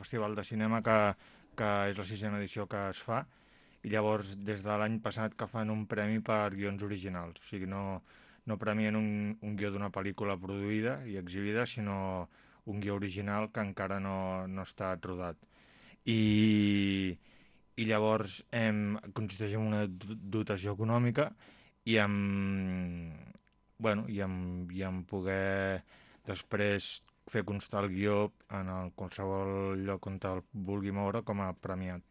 festival de cinema que és la 6a edició que es fa, i llavors des de l'any passat que fan un premi per guions originals. O sigui, no premien un guió d'una pel·lícula produïda i exhibida, sinó un guió original que encara no està rodat. I, i llavors consisteix en una dotació econòmica i en poder després fer constar el guió en qualsevol lloc on el vulgui moure com a premiat.